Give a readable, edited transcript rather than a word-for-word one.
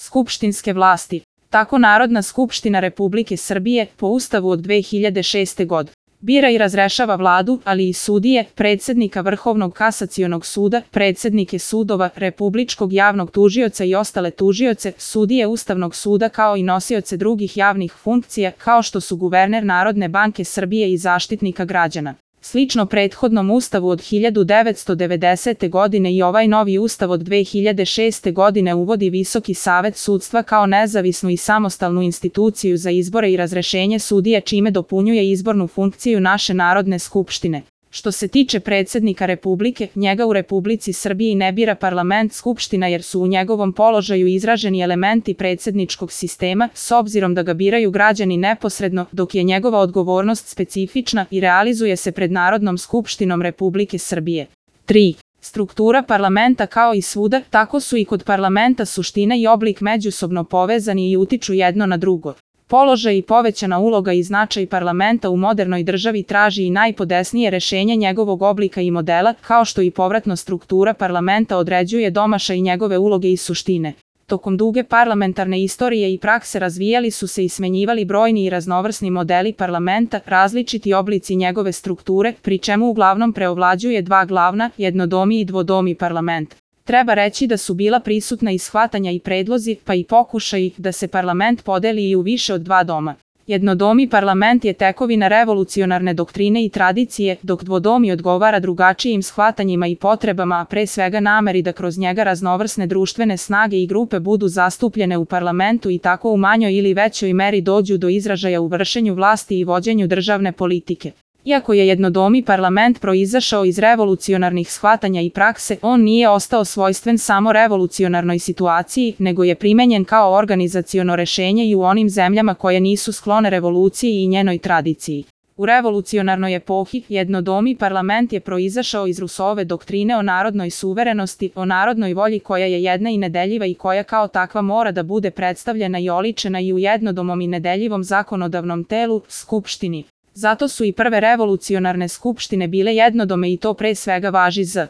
skupštinske vlasti. Tako Narodna skupština Republike Srbije, po Ustavu od 2006. godine, bira i razrešava vladu, ali i sudije, predsednika Vrhovnog kasacionog suda, predsednike sudova, republičkog javnog tužioca i ostale tužioce, sudije Ustavnog suda kao i nosioce drugih javnih funkcija, kao što su guverner Narodne banke Srbije i Zaštitnika građana. Slično prethodnom Ustavu od 1990. godine i ovaj novi Ustav od 2006. godine uvodi Visoki savet sudstva kao nezavisnu i samostalnu instituciju za izbore i razrešenje sudija, čime dopunjuje izbornu funkciju naše Narodne skupštine. Što se tiče predsednika Republike, njega u Republici Srbiji ne bira parlament skupština jer su u njegovom položaju izraženi elementi predsedničkog sistema, s obzirom da ga biraju građani neposredno, dok je njegova odgovornost specifična i realizuje se pred Narodnom skupštinom Republike Srbije. 3. Struktura parlamenta kao i svuda, tako su i kod parlamenta suština i oblik međusobno povezani i utiču jedno na drugo. Položaj i povećana uloga i značaj parlamenta u modernoj državi traži i najpodesnije rešenje njegovog oblika i modela, kao što i povratno struktura parlamenta određuje domašaj njegove uloge i suštine. Tokom duge parlamentarne istorije i prakse razvijali su se i smenjivali brojni i raznovrsni modeli parlamenta, različiti oblici njegove strukture, pri čemu uglavnom preovlađuje dva glavna, jednodomi i dvodomi parlament. Treba reći da su bila prisutna i shvatanja i predlozi, pa i pokušaji da se parlament podeli i u više od dva doma. Jednodomi parlament je tekovina revolucionarne doktrine i tradicije, dok dvodomi odgovara drugačijim shvatanjima i potrebama, a pre svega nameri da kroz njega raznovrsne društvene snage i grupe budu zastupljene u parlamentu i tako u manjoj ili većoj meri dođu do izražaja u vršenju vlasti i vođenju državne politike. Iako je jednodomi parlament proizašao iz revolucionarnih shvatanja i prakse, on nije ostao svojstven samo revolucionarnoj situaciji, nego je primenjen kao organizaciono rešenje i u onim zemljama koje nisu sklone revoluciji i njenoj tradiciji. U revolucionarnoj epohi, jednodomi parlament je proizašao iz Rousseauove doktrine o narodnoj suverenosti, o narodnoj volji koja je jedna i nedeljiva i koja kao takva mora da bude predstavljena i oličena i u jednodomom i nedeljivom zakonodavnom telu, skupštini. Zato su i prve revolucionarne skupštine bile jednodome i to pre svega važi za